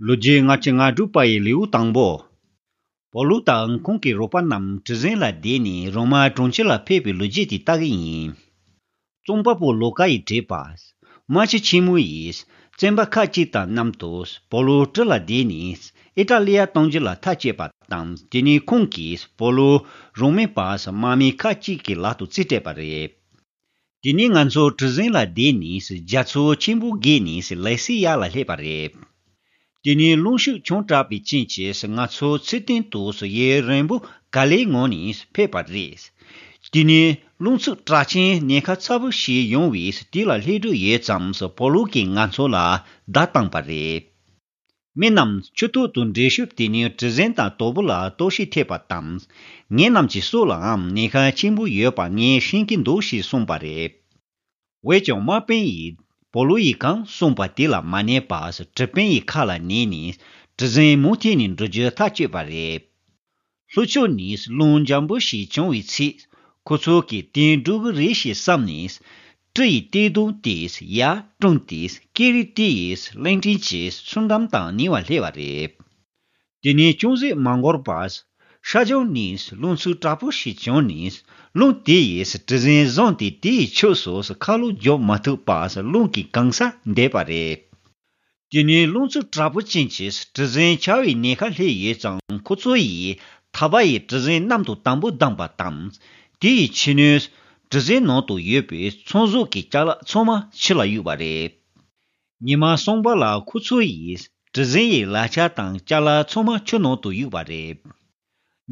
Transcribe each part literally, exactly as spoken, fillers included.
ལོ་རྒྱུས་ལྔ་བཅུ་ང་དྲུག་པ་ཡི་ལེའུ་དང་པོ། པོ་ལུ་དང་ཁོང་གི་རོགས་པ་རྣམས་གྲུ་གཟིངས་ལ་བསྡད་ནས་རོ་མ་གྲོང་ཁྱེར་ལ་ཕེབས་པའི་ལོ་རྒྱུས་དེ་ལྟ་གི་ཡིན། རྩོམ་པ་པོ་ལོ་ཀ་ཡིས་བྲིས་པ། རྨ་ཆུ་ཆེན་མོ་ཡིས་བཙོན་པ་ཁག་ཅིག་དང་མཉམ་དུ་པོ་ལུ་གྲུ་ལ་བསྡད་ནས་ཨི་ཏྲ་ལི་ཡ་གཏོང་རྒྱུ་ལ་ཐག་བཅད་པ་དང་། དེ་ནས་ཁོང་གིས་པོ་ལུ་རང་མེད་པ་དམག་མི་ཁག་ཅིག་གི་ལག་ཏུ་རྩིས་སྤྲད་པ་རེད། དེ་ནས་ང་ཚོ་གྲུ་གཟིངས་ལ་བསྡད་ནས་རྒྱ་མཚོ་ཆེན་པོ་བརྒལ་ནས་ལེ་སི་ཡ་ལ་སླེབས་པ་རེད། དེ་ནས་རླུང་ཤུགས་ཆུང་དྲགས་པའི་རྐྱེན་གྱིས་ང་ཚོ་ཚུར་སྟེང་དུ་ཡུན་རིང་པོ་ག་ལེར་ངང་ནས་ཕེབས་པ་རེད། དེ་ནས་རླུང་འཚུབ་དྲག་ཅིང་ཉེན་ཁ་ཚ་པོ་ཞིག་ཡོང་བས་དེ་ལ་སླེབས་འགྲོ་ཡོད་ཙང་པོ་ལུ་གིས་ང་ཚོ་ལ་བརྡ་བཏང་པ་རེད། མི་རྣམས་ཆུ་ཐོག་ཏུ་འགྲོ་ཤུགས་དེ་ནས་གྲུ་གཟིངས་དང་དོ་པོ་ལ་གཏོར་བཤིག་ཐེབས་པ་དང་། ངེད་རྣམས་ཀྱི་སྲོག་ལའང་ཉེན་ཁ་ཆེན་པོ་ཡོད་པ་ངས་ཤེས་ཀྱི་འདུག་ཞེས་གསུངས་པ་རེད། འོན་ཀྱང་དམག་དཔོན་ཡིས་པོ་ལུ་ཡིས་གང་གསུངས་པ་དེ་ལ་མ་ཉན་པར་གྲུ་དཔོན་ཡི་ཁ་ལ་ཉན་ནས་གྲུ་གཟིངས་མུ་མཐུད་ནས་འགྲོ་རྒྱུ་ཐག་གཅོད་པ་རེད། ལྷོ་ཕྱོགས་ནས་རླུང་འཇམ་པོ་ཞིག་བྱུང་བའི་ཚེ། ཁོ་ཚོ་གིས་དེ་འགྲོ་གི་རེད་ཞེས་བསམ་ནས། གྲུ་ཡི་ལྟེ་གདོང་དེ་ཡར་བསྲིངས་ཏེ་ཀེ་རི་ཏི་ཡིས་གླིང་ཕྲན་གྱི་མཚོ་འགྲམ་དང་ཉེ་བར་སླེབས་པ་རེད། དེ་ནས་ཅུང་ཟད་མ་འགོར་བར། ཤར་ཕྱོགས་ནས་རླུང་འཚུབ་དྲག་པོ་ཞིག་བྱུང་ནས། རླུང་དེ་ཡིས་གྲུ་གཟིངས་བཟུང་སྟེ་དེའི་ཕྱོགས་སུ་ཁ་ལོ་རྒྱོབ་མ་ཐུབ་པར་རླུང་གིས་གང་སར་འདེད་པ་རེད། དེ་ནས་རླུང་འཚུབ་དྲག་པོ་ཅན་གྱིས་གྲུ་གཟིངས་འཕྱར་བའི་ཉེན་ཁ་སླེབས་ཡོད་ཙང་ཁོ་ཚོ་ཡིས་ཐག་པ་ཡིས་གྲུ་གཟིངས་གནམ་དུ་དམ་པོ་བསྡམས་པ་དང་། དེ་ཡི་ཕྱི་སྣོད་གྲུ་གཟིངས་ནང་དུ་ཡོད་པའི་ཚོང་ཟོག་གི་ཅ་ལག་ཚང་མ་ཆུ་ལ་གཡུགས་པ་རེད། ཉི་མ་གསུམ་པ་ལ་ཁོ་ཚོ་ཡིས་གྲུ་གཟིངས་ཡི་ལག་ཆ་དང་ཅ་ལག་ཚང་མ་ཆུ་ནང་དུ་གཡུགས་པ་རེད།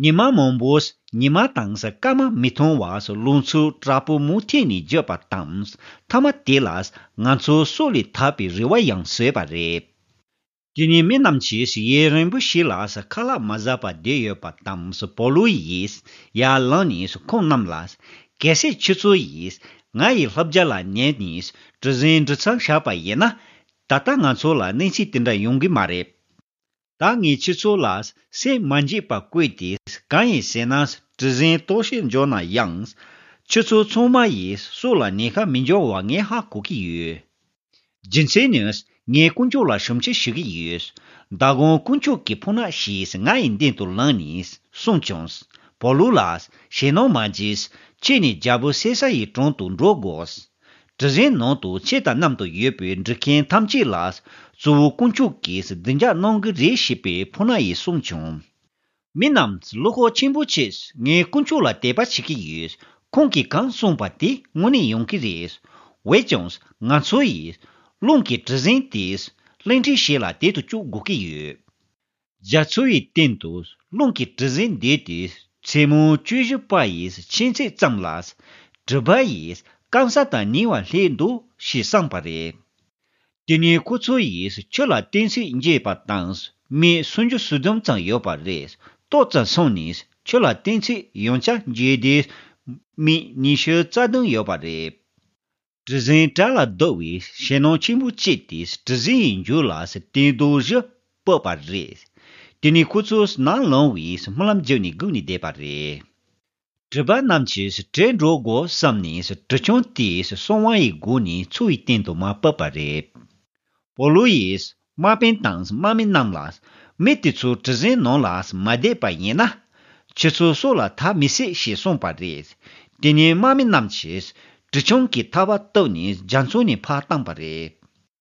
ཉི་མ་མང་པོས་ཉི་མ་དང་སྐར་མ་མི་མཐོང་བར་རླུང་འཚུབ་དྲག་པོ་མུ་མཐུད་ནས་བརྒྱུད་པ་དང་། མཐའ་མ་དེ་ལ་ང་ཚོ་སྲོག་ལས་ཐར་བའི་རེ་བ་ཡང་བཟོས་པ་རེད། དེ་ནས་མི་རྣམས་ཀྱིས་ཡུན་རིང་པོ་ཞིག་ལ་ཁ་ལག་མ་ཟ་བར་བསྡད་ཡོད་པ་དང་། པོ་ལུ་ཡིས་ཡར་ལངས་ནས་ཁོང་རྣམས་ལ། གལ་སྲིད་ཁྱེད་ཚོ་ཡིས་ང་ཡི་བསླབ་བྱ་ལ་ཉན་ནས་གྲུ་གཟིངས་འགྲོ་མཚམས་བཞག་པ་ཡིན་ན། ད་ལྟ་ང་ཚོ་ལ་གནས་ཚུལ་དེ་འདྲ་ཡོང་གི་མ་རེད། ད་ངས་ཁྱེད་ཚོ་ལ་སེམས་མ་འཇིགས་པར་བཀོད་དེ། གང་ཡིན་ཟེར་ན་གྲུ་གཟིངས་གཏོར་བཤིག་འབྱུང་ན་ཡང་། ཁྱེད་ཚོ་ཚང་མ་ཡིས་སྲོག་ལ་ཉེན་ཁ་མི་འབྱུང་བ་ངས་ཧ་གོ་གི་ཡོད། རྒྱུ་མཚན་ནི་ངས་དཀོན་མཆོག་ལ་ཞབས་ཕྱི་ཞུ་གི་ཡོད། མདང་དགོང་དཀོན་མཆོག་གི་ཕོ་ཉ་ཞིག་ང་ཡི་མདུན་དུ་ལངས་ནས་གསུངས་བྱུང་། པོ་ལུ་ལགས། ཞེད་སྣང་མ་བྱེད། ཁྱེད་ནི་རྒྱལ་པོ་སེ་ས་ཡི་དྲུང་དུ་འགྲོ་དགོས། གྲུ་གཟིངས་ནང་དུ་ཁྱེད་དང་མཉམ་དུ་ཡོད་པའི་འགྲུལ་མཁན་ཐམས་ཅད་ལ་གཙོ་བོ་དཀོན་མཆོག་གིས་བདེ་འཇགས་གནང་གི་རེད་ཞེས་པའི་ཕོ་ཉ་ཡིས་གསུངས་བྱུང་། མི་རྣམས་བློ་ཁོག་ཆེན་པོ་བྱས། ངས་དཀོན་མཆོག་ལ་དད་པ་བྱེད་ཀྱི་ཡོད། ཁོང་གིས་གང་གསུངས་པ་དེ་དངོས་གནས་ཡོང་གི་རེད། འོན་ཀྱང་ང་ཚོ་ཡིས་རླུང་གི་གྲུ་གཟིངས་དེ་གླིང་ཕྲན་ཞིག་ལ་དེད་དུ་བཅུག་དགོས་ཀྱི་ཡོད། རྒྱ་མཚོ་ཡི་སྟེང་དུ་རླུང་གི་གྲུ་གཟིངས་འདེད་དེ་མཚན་མོ་བཅུ་བཞི་པ་ཡི་ཕྱེད་ཚད་ཙམ་ལ། གྲུ་པ་ཡིས་སྐམ་ས་དང་ཉེ་བར་སླེབས་འདུག་ཞེས་གསུངས་པ་རེད། དེ་ནས་ཁོ་ཚོ་ཡིས་ཆུ་ལ་གཏིང་ཚད་འཇལ་བ་དང་། མི་སུམ་ཅུ་སོ་བདུན་ཙམ་ཡོད་པ་རེད། ཏོག་ཙམ་སོང་ནས་ཆུ་ལ་གཏིང་ཚད་ཡང་བསྐྱར་འཇལ་ཏེ། མི་ཉི་ཤུ་རྩ་བདུན་ཡོད་པ་རེད། གྲུ་གཟིངས་བྲག་ལ་བརྡབས་པས་ཞེད་སྣང་ཆེན་པོ་སྐྱེས་ཏེ་གྲུ་གཟིངས་ཡི་མཇུག་ལ་སྟེང་རྡོ་བཞི་ཕབ་པ་རེད། དེ་ནས་ཁོ་ཚོ་ནམ་ལངས་པའི་སྨོན་ལམ་བརྒྱབ་ནས་སྒུག་ནས་བསྡད་པ་རེད། གྲུ་པ་རྣམས་ཀྱིས་བྲོས་འགྲོ་དགོས་བསམ་ནས་གྲུ་ཆུང་དེའི་གསང་བ་ཡི་སྒོ་ནས་མཚོ་ཡི་སྟེང་དུ་མར་ཕབ་པ་རེད། པོ་ལུ་ཡིས་དམག་དཔོན་དང་དམག་མི་རྣམས་ལ། མི་དེ་ཚོ་གྲུ་གཟིངས་ནང་ལ་མ་བསྡད་པ་ཡིན་ན། ཁྱེད་ཚོ་སྲོག་ལ་ཐར་མི་སྲིད་ཞེས་གསུངས་པ་རེད། དེ་ནས་དམག་མི་རྣམས་ཀྱིས་གྲུ་ཆུང་གི་ཐག་པ་བཏོགས་ནས་རྒྱ་མཚོ་ནས་ཕར་བཏང་པ་རེད།